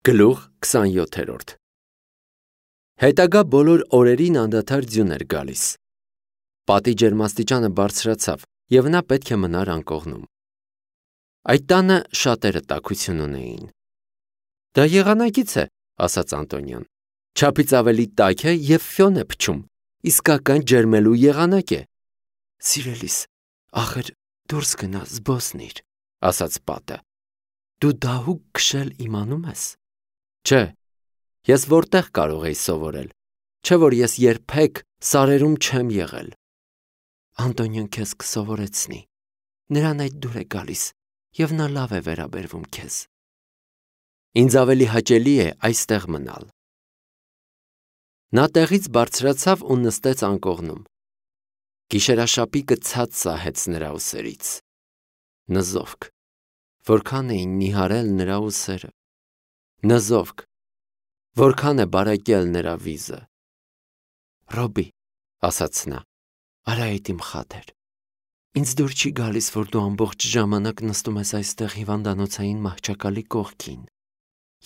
Գլուխ 27 Հետագա բոլոր օրերին անդադար ձյուն էր գալիս։ Պատի ջերմաստիճանը բարձրացավ, և նա պետք է մնար անկողնում։ Այդ տանը շատերը տաքություն ունեին։ Դա եղանակից է, ասաց Անտոնիոն։ Չափից ավելի տաք է և ֆյոն է փչում, իսկական ջերմելու եղանակ է։ Սիրելիս, ախր դուրս գնա զբոսնիր, ասաց պատը։ Դու դահուկ քշել իմանում ես։ Չէ, ես որտեղ կարող էի սովորել, չէ որ ես երբեք սարերում չեմ եղել։ Անտոնիոն քեզ կսովորեցնի, նրան այդ դուր է գալիս, և նա լավ է վերաբերվում քեզ։ Ինձ ավելի հաճելի է այստեղ մնալ։ Նա տեղից բարձրացավ ու նստեց անկողնում։ Գիշերաշապիկը ցած սահեց նրա ուսերից։ Նզովք, որքան էին նիհարել նրա ուսերը։ Նզովք, որքան է բարեկել նրա վիզը։ Ռոբի, ասաց նա, արա այդ իմ խաթեր։ Ինձ դուր չի գալիս, որ դու ամբողջ ժամանակ նստում ես այստեղ հիվանդանոցային մահճակալի կողքին։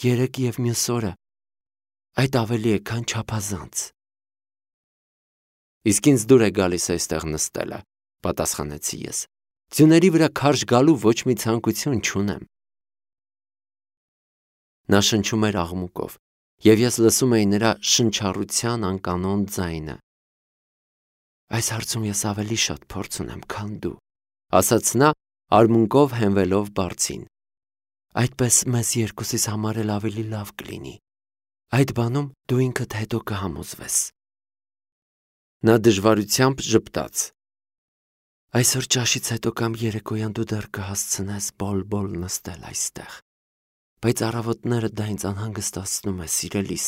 Երեկ և մյուս օրը այդ ավելի է, քան չափազանց։ Իսկ ինձ դուր է գալիս այստեղ նստելը, պատասխանեցի ես։ Ձյուների վրա քարշ գալու ոչ մի ցանկություն չունեմ։ Նա շնչում էր աղմուկով, և ես լսում էի նրա շնչառության անկանոն ձայնը։ Այս հարցում ես ավելի շատ փորձ ունեմ, քան դու, ասաց նա, արմունկով հենվելով բարձին։ Այդպես մեզ երկուսիս համար էլ ավելի լավ կլինի։ Այդ բանում դու ինքդ հետո կհամոզվես։ Նա դժվարությամբ ժպտաց։ Այսօր ճաշից հետո կամ երեկոյան դու դեռ կհասցնես բոլ-բոլ նստել այստեղ, բայց առավոտները դա ինձ անհանգստացնում է, սիրելիս։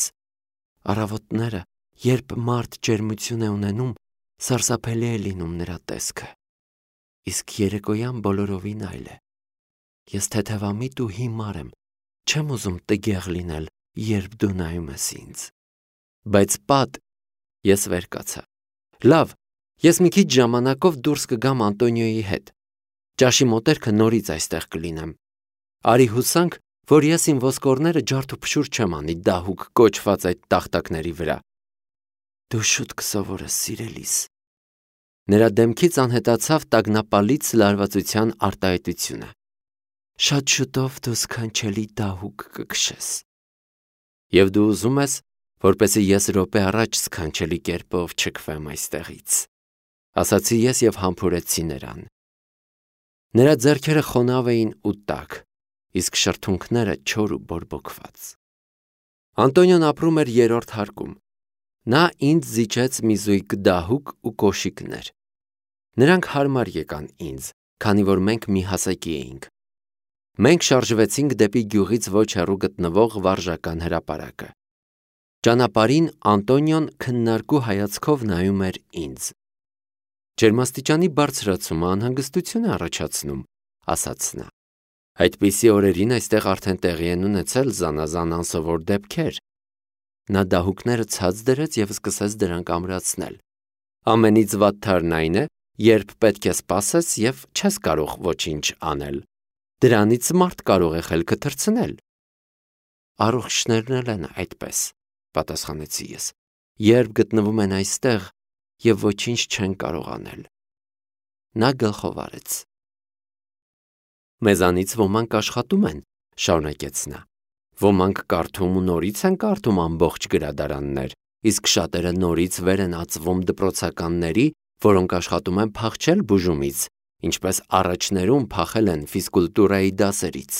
Առավոտները, երբ մարդ ջերմություն է ունենում, սարսափելի է լինում նրա տեսքը։ Իսկ երեկոյան բոլորովին այլ է։ Ես թեթևամիտ ու հիմար եմ, չեմ ուզում տգեղ լինել, երբ դու նայում ես ինձ։ Բայց պատ, ես վեր կացա։ Լավ, ես մի քիչ ժամանակով դուրս կգամ Անտոնիոյի հետ։ Ճաշի մոտերքը նորից այստեղ կլինեմ։ Արի հուսանք, որ ես իմ ոսկորները ջարդ ու փշուր չեմ անի դահուկ կոչված այդ տախտակների վրա։ Դու շուտ կսովորես, սիրելիս։ Նրա դեմքից անհետացավ տագնապալից լարվածության արտահայտությունը։ Շատ շուտով դու սքանչելի դահուկ կքշես։ Եվ դու ուզում ես, որպեսզի ես րոպե առաջ սքանչելի կերպով չքվեմ այստեղից, ասացի ես և համբուրեցի նրան։ Նրա ձեռքերը խոնավ էին ու տաք, իսկ շրթունքները չոր ու բորբոքված։ Անտոնիոն ապրում էր 3-րդ հարկում։ Նա ինձ զիջեց մի զույգ դահուկ ու կոշիկներ։ Նրանք հարմար եկան ինձ, քանի որ մենք մի հասակի էինք։ Մենք շարժվեցինք դեպի գյուղից ոչ հեռու գտնվող վարժական հրապարակը։ Ճանապարհին Անտոնիոն քննարկու հայացքով նայում էր ինձ։ Ջերմաստիճանի բարձրացումը անհանգստություն է առաջացնում, ասաց նա։ Այդպիսի օրերին այստեղ արդեն տեղի են ունեցել զանազան անսովոր դեպքեր։ Նա դահուկները ցած դրեց և սկսեց դրանք ամրացնել։ Ամենից վատթարն այն է, երբ պետք է սպասես և չես կարող ոչինչ անել։ Դրանից մարդ կարող է խելքը թռցնել։ Առողջներն էլ են այդպես, պատասխանեցի ես, երբ գտնվում են այստեղ և ոչինչ չեն կարող անել։ Նա գլխով արեց։ Մեզանից ոմանք աշխատում են, շարունակեց նա։ Ոմանք կարդում ու նորից են կարդում ամբողջ գրադարաններ, իսկ շատերը նորից վեր են ածվում դպրոցականների, որոնք աշխատում են փախչել բուժումից, ինչպես առաջներում փախել են ֆիզկուլտուրայի դասերից։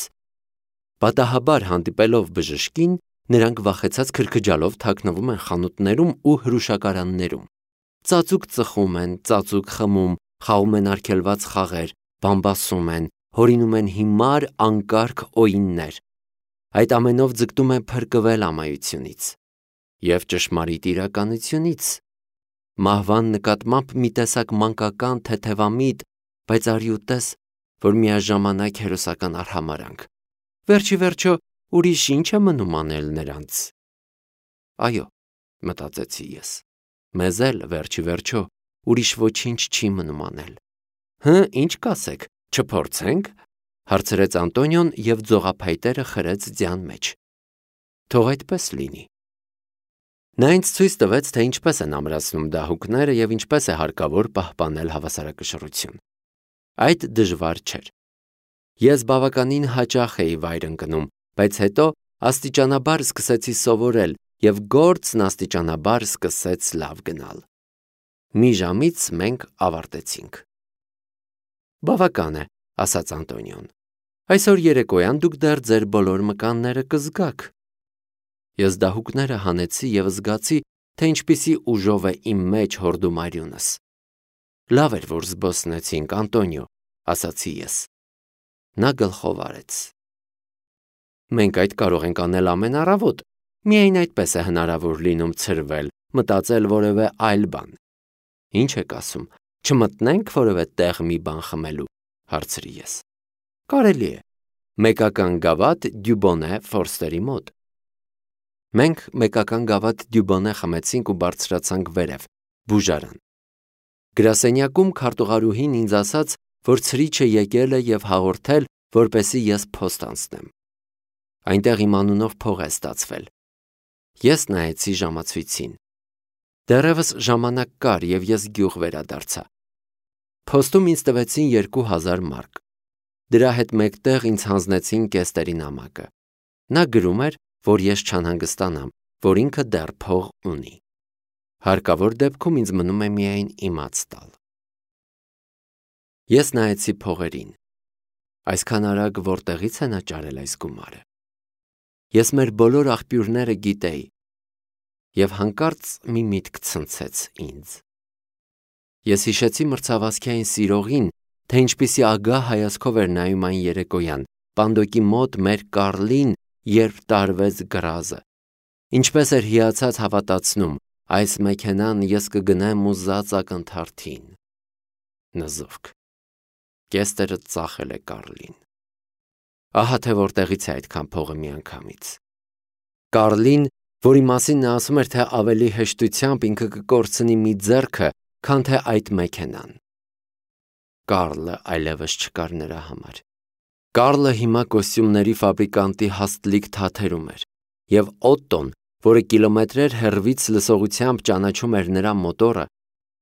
Պատահաբար հանդիպելով բժշկին, նրանք վախեցած քրքջալով թաքնվում են խանութներում ու հրուշակարաններում։ Ծածուկ ծխում են, ծածուկ խմում, խաղում են արգելված խաղեր, բամբասում են, հորինում են հիմար անկարգ օիններ։ Այդ ամենով ձգտում են փրկվել ամայությունից և ճշմարիտ իրականությունից։ Մահվան նկատմամբ մի տեսակ մանկական թեթևամիտ, բայց արի ու տես, որ միաժամանակ հերոսական արհամարհանք։ Վերջ ի վերջո, ուրիշ ինչ է մնում անել նրանց։ Այո, մտածեցի ես, մեզ էլ վերջ ի վերջո ուրիշ ոչինչ չի մնում անել։ Ինչ կասեք, չփորձե՞նք, հարցրեց Անտոնիոն և ձողափայտերը խրեց ձյան մեջ։ Թող այդպես լինի։ Նա ինձ ցույց տվեց, թե ինչպես են ամրացնում դահուկները եւ ինչպես է հարկավոր պահպանել հավասարակշռություն։ Այդ դժվար չէր։ Ես բավականին հաճախ էի վայր ընկնում, բայց հետո աստիճանաբար սկսեցի սովորել եւ գործն աստիճանաբար սկսեց լավ գնալ։ Մի ժամից մենք ավարտեցինք։ Բավական է, ասաց Անտոնիոն։ Այսօր երեկոյան դուք դեռ ձեր բոլոր մկանները կզգաք։ Ես դահուկները հանեցի եւ զգացի, թե ինչպիսի ուժով է իմ մեջ հորդում արյունս։ Լավ էր, որ զբոսնեցինք, Անտոնիո, ասացի ես։ Նա գլխով արեց։ Մենք այդ կարող ենք անել ամեն առավոտ, միայն այդպես է հնարավոր լինում ցրվել, մտածել որևէ այլ բան։ Ինչ եք ասում, չմտնենք որևէ տեղ մի բան խմելու, հարցրի ես։ Կարելի է։ Մեկական գավաթ Դյուբոնե Ֆորստերի մոտ։ Մենք մեկական գավաթ Դյուբոնե խմեցինք ու բարձրացանք վերև, բուժարան։ Գրասենյակում քարտուղարուհին ինձ ասաց, որ ցրիչը եկել է եւ հաղորդել, որպեսզի ես փոստ անցնեմ։ Այնտեղ իմ անունով փող է ստացվել։ Ես նայեցի ժամացույցին։ Դեռևս ժամանակ կար եւ ես գյուղ վերադարձա։ Փոստում ինձ տվեցին 2000 մարկ։ Դրա հետ մեկտեղ ինձ հանձնեցին կեստերի նամակը։ Նա գրում էր, որ ես չանհանգստանամ, որ ինքը դեռ փող ունի։ Հարկավոր դեպքում ինձ մնում է միայն իմաց տալ։ Ես նայեցի փողերին։ Այսքան արագ որտեղից է նա ճարել այս գումարը։ Ես մեր բոլոր աղբյուրները գիտեի եւ հանկարծ մի միտք ցնցեց ինձ։ Ես հիշեցի մրցավազքային սիրողին, թե ինչպիսի ագահ հայացքով էր նայում այն երեկոյան, պանդոկի մոտ մեր Կարլին, երբ տարվեց գրազը։ Ինչպես էր հիացած հավատացնում, այս մեքենան ես կգնեմ ու զած ակնթարթին։ Նզովք։ Կեստերը ծախել է Կարլին։ Ահա թե որտեղից է այդքան փողը միանգամից։ Կարլին, որի մասին նա ասում էր, թե ավելի հեշտությամբ ինքը կկորցնի մի ձեռքը, քան թե այդ մեքենան։ Կարլը այլևս չկար նրա համար։ Կարլը հիմա կոստյումների ֆաբրիկանտի հաստլիկ թաթերում էր, եւ Օտտոն, որը կիլոմետրեր հեռվից լսողությամբ ճանաչում էր նրա մոտորը,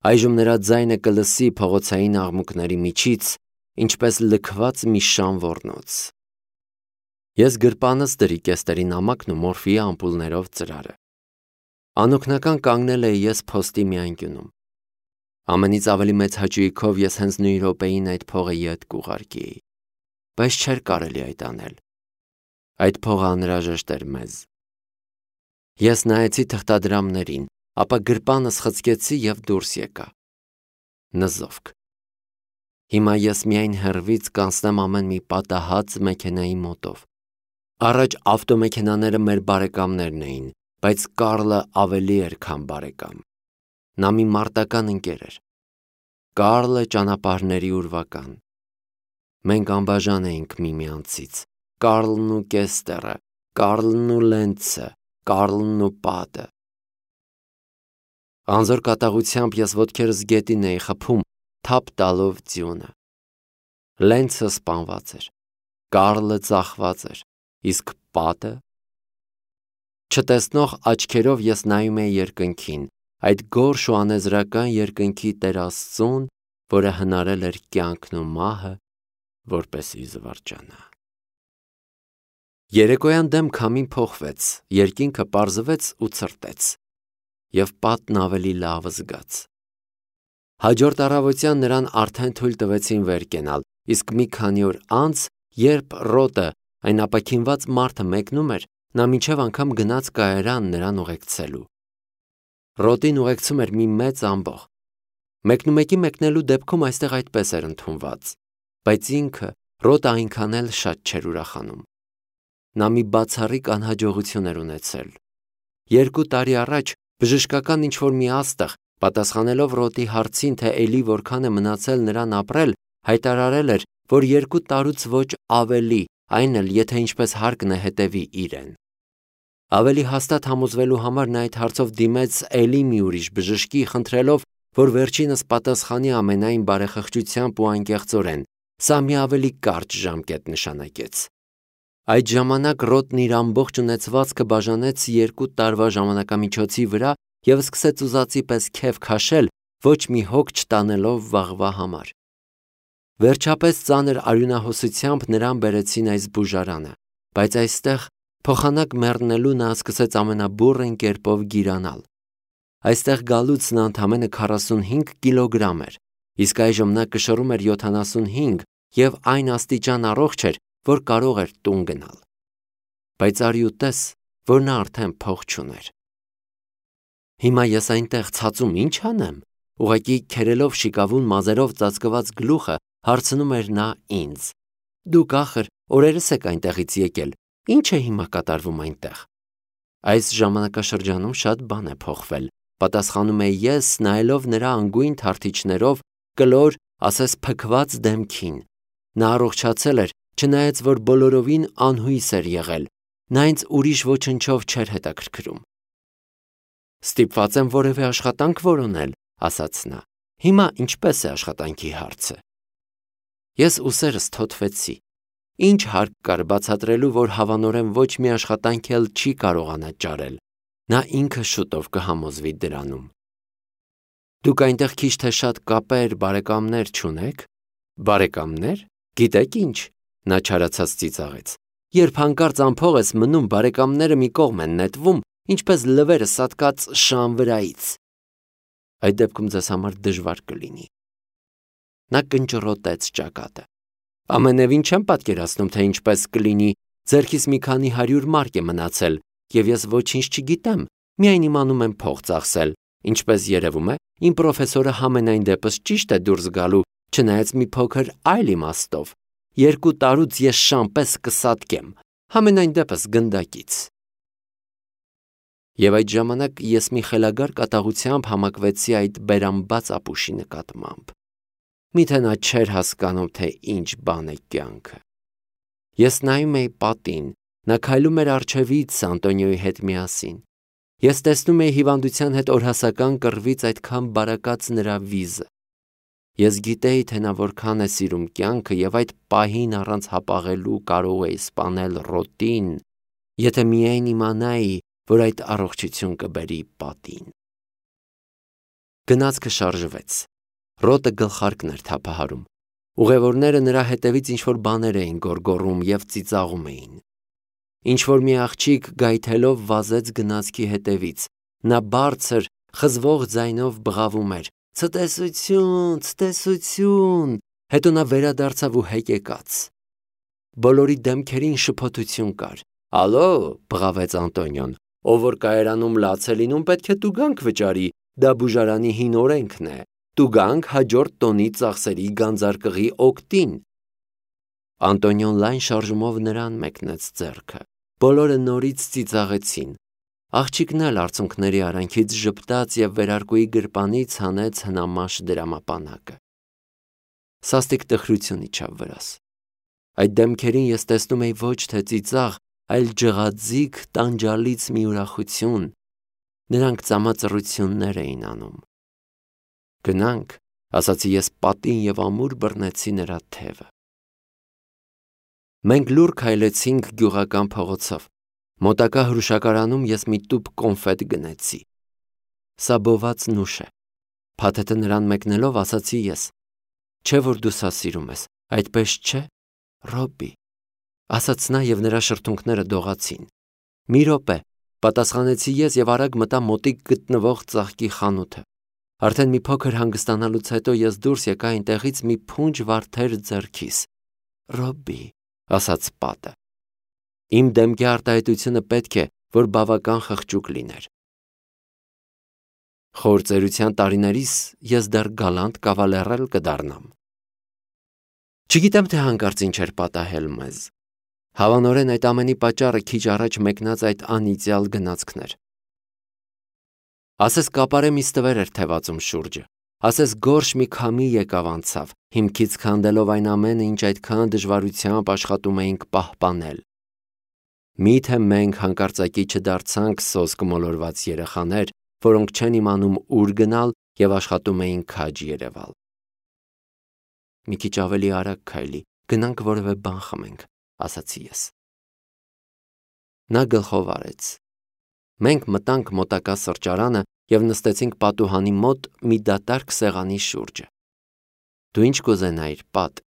այժմ նրա ձայնը կլսի փողոցային աղմուկների միջից, ինչպես լքված մի շան ոռնոց։ Ես գրպանս դրի կեստերի նամակն ու մորֆիի ամպուլներով ծրարը։ Անօգնական կանգնել էի ես փոստի մի անկյունում։ Ամենից ավելի մեծ հաճույքով ես հենց նույն րոպեին այդ փողը ետ կուղարկեի, բայց չէր կարելի այդ անել։ Այդ փողը անհրաժեշտ էր մեզ։ Ես նայեցի թղթադրամներին, ապա գրպանս խցկեցի եւ դուրս եկա։ Նզովք։ Հիմա ես միայն հեռվից կանցնեմ ամեն մի պատահած մեքենայի մոտով։ Առաջ ավտոմեքենաները մեր բարեկամներն էին, բայց Կարլը ավելի էր, քան բարեկամ։ Նա մի մարտական ընկեր էր։ Կարլը ճանապարհների ուրվական։ Մենք անբաժան էինք միմյանցից։ Կարլն ու Կեստերը, Կարլն ու Լենցը, Կարլն ու Պատը։ Անզոր կատաղությամբ ես ոտքերս գետին էի խփում, թափ տալով ձյունը։ Լենցը սպանված էր։ Կարլը ծախված էր, իսկ Պատը։ Չտեսնող աչքերով ես նայում էի երկնքին, այդ գորշ ու անեզրական երկնքի Տեր Աստծուն, որը հնարել էր կյանքն ու մահը, որպեսզի զվարճանա։ Երեկոյան դեմ քամին փոխվեց, երկինքը պարզվեց ու ցրտեց, եւ Պատն ավելի լավ զգաց։ Հաջորդ առավոտյան նրան արդեն թույլ տվեցին վեր կենալ, իսկ մի քանի օր անց, երբ Ռոտը, այն ապաքինված մարդը մեկնում էր, նա մինչև անգամ գնաց կայարան նրան ուղեկցելու։ Ռոտին ուղեկցում էր մի մեծ ամբոխ։ Մեկնումեկի մեկնելու դեպքում այստեղ այդպես էր ընդունված, բայց ինքը Ռոտը այնքան էլ շատ չէր ուրախանում։ Նա մի բացառիկ անհաջողություն էր ունեցել։ 2 տարի առաջ բժշկական ինչ-որ մի աստղ, պատասխանելով Ռոտի հարցին, թե էլի որքան է մնացել նրան ապրել, հայտարարել էր, որ 2 տարուց ոչ ավելի, այն էլ եթե ինչպես հարկն է հետևի իրեն։ Ավելի հաստատ համոզվելու համար նա այդ հարցով դիմեց էլի մի ուրիշ բժշկի, խնդրելով, որ վերջինս պատասխանի ամենայն բարեխղճությամբ ու անկեղծորեն։ Սա մի ավելի կարճ ժամկետ նշանակեց։ Այդ ժամանակ Ռոթն իր ամբողջ ունեցվածքը բաժանեց 2 տարվա ժամանակամիջոցի վրա և սկսեց ուզածի պես քեֆ քաշել, ոչ մի հոգ չտանելով վաղվա համար։ Վերջապես ծանր արյունահոսությամբ նրան բերեցին այս բուժարանը, բայց այստեղ փոխանակ մեռնելու նա սկսեց ամենաբուռն կերպով գիրանալ։ Այստեղ գալուց նա ընդամենը 45 կիլոգրամ էր, իսկ այժմ նա կշռում էր 75 և այն աստիճան առողջ էր, որ կարող էր տուն գնալ։ Բայց արի ու տես, որ նա արդեն փող չուներ։ Հիմա ես այնտեղ ցածում ինչ անեմ, ուղղակի քերելով շիկավուն մազերով ծածկված գլուխը հարցնում էր նա ինձ. Դուք ախր օրերս եք այնտեղից եկել, ինչ է հիմա կատարվում այնտեղ։ Այս ժամանակաշրջանում շատ բան է փոխվել, պատասխանում էի ես, նայելով նրա անգույն թարթիչներով կլոր, ասես փքված դեմքին։ Նա առողջացել էր, չնայած որ բոլորովին անհույս էր եղել, նա ինձ ուրիշ ոչնչով չէր հետաքրքրում։ Ստիպված եմ որևէ աշխատանք որոնել, ասաց նա։ Հիմա ինչպես է աշխատանքի հարցը։ Ես ուսերս թոթվեցի։ Ինչ հարկ կար բացատրելու, որ հավանորեն ոչ մի աշխատանք էլ չի կարողանա ճարել։ Նա ինքը շուտով կհամոզվի դրանում։ Դուք այնտեղ քիչ թե շատ կապեր, բարեկամներ չունեք։ Բարեկամներ։ Գիտեք ինչ։ Նա չարացած ծիծաղեց։ Երբ հանկարծ անփող ես մնում, բարեկամները մի կողմ են նետվում, ինչպես լվերը սատկած շան վրայից։ Այդ դեպքում ձեզ համար դժվար կլինի։ Նա կնճռոտեց ճակատը։ Ամենևին չեմ պատկերացնում, թե ինչպես կլինի, ձեռքիս մի քանի 100 մարկ է մնացել, և ես ոչինչ չգիտեմ, միայն իմանում եմ փող ծախսել, ինչպես երևում է, իմ պրոֆեսորը համենայն դեպս ճիշտ է դուրս գալու, չնայած մի փոքր այլ իմաստով։ 2 տարուց ես շան պես կսատկեմ, համենայն դեպս գնդակից։ Եվ այդ ժամանակ ես մի խելագար կատաղությամբ համակվեցի այդ բերանբաց ապուշի նկատմամբ։ Միթե նա չէր հասկանում, թե ինչ բան է կյանքը։ Ես նայում էի պատին, նա քայլում էր առջևից Անտոնիոյի հետ միասին։ Ես տեսնում էի հիվանդության հետ օրհասական կռվից այդքան բարակած նրա վիզը։ Ես գիտեի, թե նա որքան է սիրում կյանքը և այդ պահին առանց հապաղելու կարող էի սպանել Ռոթին, եթե միայն իմանայի, որ այդ առողջություն կբերի պատին։ Գնացքը շարժվեց։ Ռոթը գլխարկն էր թափահարում։ Ուղևորները նրա հետևից ինչ-որ բաներ էին գոռգոռում և ծիծաղում էին։ Ինչ-որ մի աղջիկ գայթելով վազեց գնացքի հետևից։ Նա բարձր, խզվող ձայնով բղավում էր. «Ցտեսություն, ցտեսություն», հետո նա վերադարձավ ու հեկեկաց։ Բոլորի դեմքերին շփոթություն կար։ «Ալո», բղավեց Անտոնիոն, «ով որ կայարանում լաց է լինում, պետք է տուգանք վճարի, դա բուժարանի հին օրենքն է, տուգանք հաջորդ տոնի ծախսերի գանձարկղի օգտին»։ Անտոնիոն լայն շարժումով նրան մեկնեց ձեռքը։ Բոլորը նորից ծիծաղեցին։ Աղջիկն էլ արցունքների արանքից ժպտաց և վերարկուի գրպանից հանեց հնամաշ դրամապանակը։ Սաստիկ տխրություն իջավ վրաս։ Այդ դեմքերին ես տեսնում էի ոչ թե ծիծաղ, այլ ջղաձիգ տանջալից մի ուրախություն։ Նրանք ծամածռություններ էին անում։ Գնանք, ասացի ես պատին և ամուր բռնեցի նրա թևը։ Մենք լուռ քայլեցինք գյուղական փողոցով։ Մոտակա հրուշակարանում ես մի տուփ կոնֆետ գնեցի։ Սա բոված նուշ է։ Փաթեթը նրան մեկնելով ասացի ես. Չէ՞ որ դու սա սիրում ես, այդպես չէ՞, Ռոբի, ասաց նա և նրա շրթունքները դողացին։ Մի րոպե, պատասխանեցի ես և արագ մտա մոտիկ գտնվող ծաղկի խանութը։ Արդեն մի փոքր հանգստանալուց հետո ես դուրս եկա այնտեղից մի փունջ վարդեր ձեռքիս։ Ռոբի, ասաց պատը։ Իմ դեմքի արտահայտությունը պետք է, որ բավական խղճուկ լիներ։ Խոր ծերության տարիներիս ես դեռ գալանտ կավալերել կդառնամ։ Չգիտեմ, թե հանկարծ ինչ էր պատահել մեզ։ Հավանորեն այդ ամենի պատճառը քիչ առաջ մեկնած այդ անիծյալ գնացքն էր։ Ասես կապարե մի ստվեր էր թևածում շուրջը։ Ասես գորշ մի քամի եկավ անցավ, հիմքից քանդելով այն ամենը, ինչ այդքան դժվարությամբ աշխատում էինք պահպանել։ Միթե մենք հանկարծակի չդարձանք սոսկ մոլորված երեխաներ, որոնք չեն իմանում ուր գնալ և աշխատում էին քաջ Երևալ։ Մի քիչ ավելի արագ քայլի, գնանք որևէ բան խմենք, ասացի ես։ Նա գլխով արեց։ Մենք մտանք մոտակա սրճարանը և նստեցինք պատուհանի մոտ մի դատարկ սեղանի շուրջը։ Դու ինչ կուզենայիր, Պատ,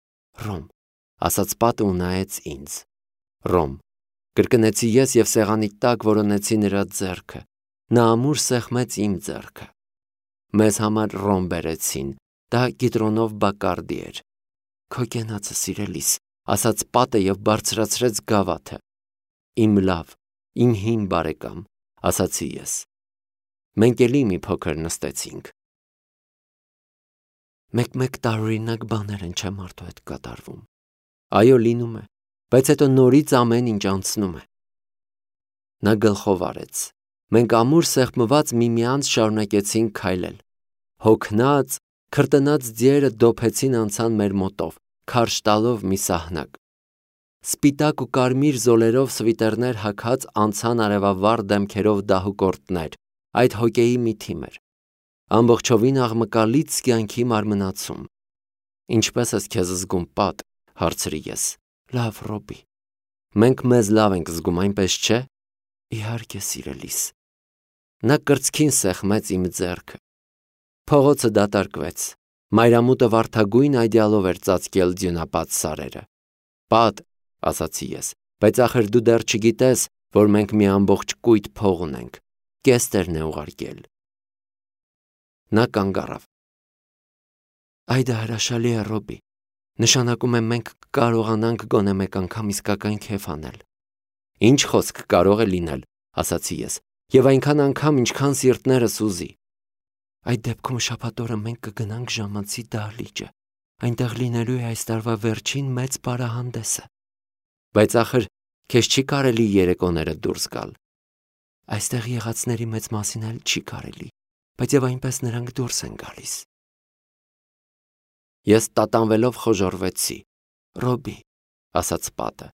Ռոմ, ասաց Պատը ու նայեց ինձ։ Ռոմ, կրկնեցի ես և սեղանի տակ որոնեցի նրա ձեռքը։ Նա ամուր սեղմեց իմ ձեռքը։ Մեզ համար ռոմ բերեցին, դա կիտրոնով բակարդի էր։ Քո կենացը, սիրելիս, ասաց Պատը և բարձրացրեց գավաթը։ Իմ լավ, իմ հին բարեկամ, ասացի ես։ Մենք էլի մի փոքր նստեցինք։ Մեկ-մեկ տարօրինակ բաներ են, չէ՞ մարդու հետ կատարվում։ Այո, լինում է, բայց հետո նորից ամեն ինչ անցնում է։ Նա գլխով արեց։ Մենք ամուր սեղմված միմյանց շարունակեցինք քայլել։ Հոգնած, քրտնած ձիերը դոփեցին անցան մեր մոտով, քարշ տալով մի սահնակ։ Սպիտակ ու կարմիր զոլերով սվիտերներ հագած անցան արևավառ դեմքերով դահուկորդներ, այդ հոկեի մի թիմ էր։ Ամբողջովին աղմկալից կյանքի մարմնացում։ Ինչպե՞ս ես քեզ զգում, Պատ, հարցրի ես։ Լավ, Ռոբի։ Մենք մեզ լավ ենք զգում, այնպես չէ։ Իհարկե, սիրելիս։ Նա կրծքին սեղմեց իմ ձեռքը։ Փողոցը դատարկվեց։ Մայրամուտը վարդագույն այդյալով էր ծածկել ձյունապատ սարերը։ Պատ, ասացի ես, բայց ախր դու դեռ չգիտես, որ մենք մի ամբողջ կույտ փող ունենք։ Կեստերն է ուղարկել։ Նա կանգ առավ։ Այ դա հրաշալի է, Ռոբի։ Նշանակում է մենք կարողանանք գոնե մեկ անգամ իսկական քեֆ անել։ Ինչ խոսք կարող է լինել, ասացի ես, և այնքան անգամ, ինչքան սիրտներս ուզի։ Այդ դեպքում շաբաթ օրը մենք կգնանք ժամանցի դահլիճը։ Այնտեղ լինելու է այս տարվա վերջին մեծ պարահանդեսը։ Բայց ախր քեզ չի կարելի երեկոները դուրս գալ։ Այստեղ եղածների մեծ մասին էլ չի կարելի, բայց և այնպես նրանք դուրս են գալիս։ Ես տատանվելով խոժոռվեցի։ Ռոբի, ասաց Պատը,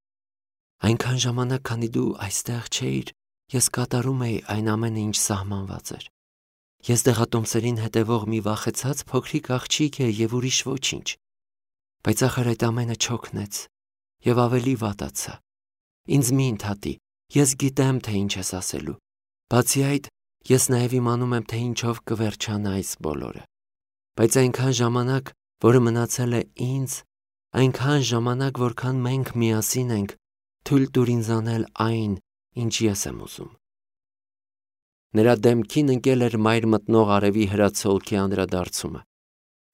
այնքան ժամանակ, քանի դու այստեղ չէիր, ես կատարում էի այն ամենը, ինչ սահմանված էր։ Ես դեղատոմսերին հետևող մի վախեցած փոքրիկ աղջիկ է և ուրիշ ոչինչ։ Բայց ախր այդ ամենը չօգնեց և ավելի վատացա։ Ինձ մի ընդհատի, ես գիտեմ, թե ինչ ես ասելու։ Բացի այդ, ես նաև իմանում եմ, թե ինչով կվերջանա այս բոլորը։ Բայց այնքան ժամանակ, որը մնացել է ինձ, այնքան ժամանակ, որքան մենք միասին ենք, թույլ տուր ինձ անել այն, ինչ ես եմ ուզում։ Նրա դեմքին ընկել էր մայր մտնող արևի հրացոլքի անդրադարձումը։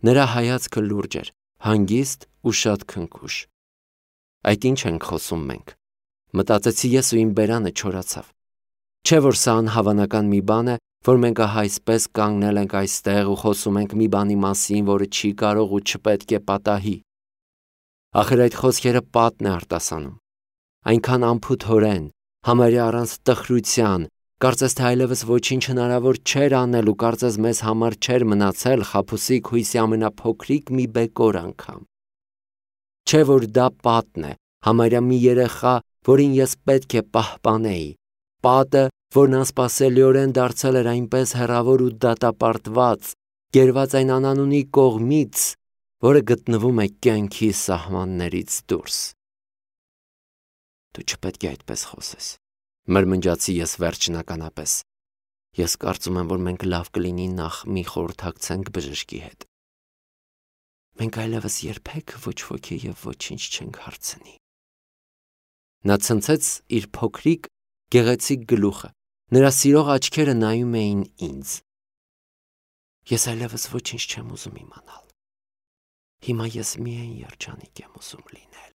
Նրա հայացքը լուրջ էր, հանգիստ ու շատ քնքուշ։ Այդ ինչ ենք խոսում մենք։ Մտածեցի ես ու իմ բերանը չորացավ։ Չէ՞ որ սա անհավանական մի բան է, որ մենք ահա այսպես կանգնել ենք այստեղ ու խոսում ենք մի բանի մասին, որը չի կարող ու չպետք է պատահի։ Ախր այդ խոսքերը Պատն է արտասանում։ Այնքան անփութորեն, համարյա առանց տխրության, կարծես թե այլևս ոչինչ հնարավոր չէր անել ու կարծես մեզ համար չէր մնացել խաբուսիկ հույսի ամենափոքրիկ մի բեկոր անգամ։ Չէ՞ որ դա Պատն է, համարյա մի երեխա, որին ես պետք է պահպանեի, Պատը, որն անսպասելիորեն դարձել էր այնպես հեռավոր ու դատապարտված, գերված այն անանունի կողմից, որը գտնվում է կյանքի սահմաններից դուրս։ Դու չպետք է այդպես խոսես, մրմնջացի ես վերջնականապես։ Ես կարծում եմ, որ մենք լավ կլինի նախ մի խորհրդակցենք բժշկի հետ։ Մենք այլևս երբեք ոչ ոքի և ոչինչ չենք հարցնի։ Նա ցնցեց իր փոքրիկ, գեղեցիկ գլուխը, նրա սիրող աչքերը նայում էին ինձ։ Ես այլևս ոչինչ չեմ ուզում իմանալ։ Հիմա ես միայն երջանիկ եմ ուզում լինել։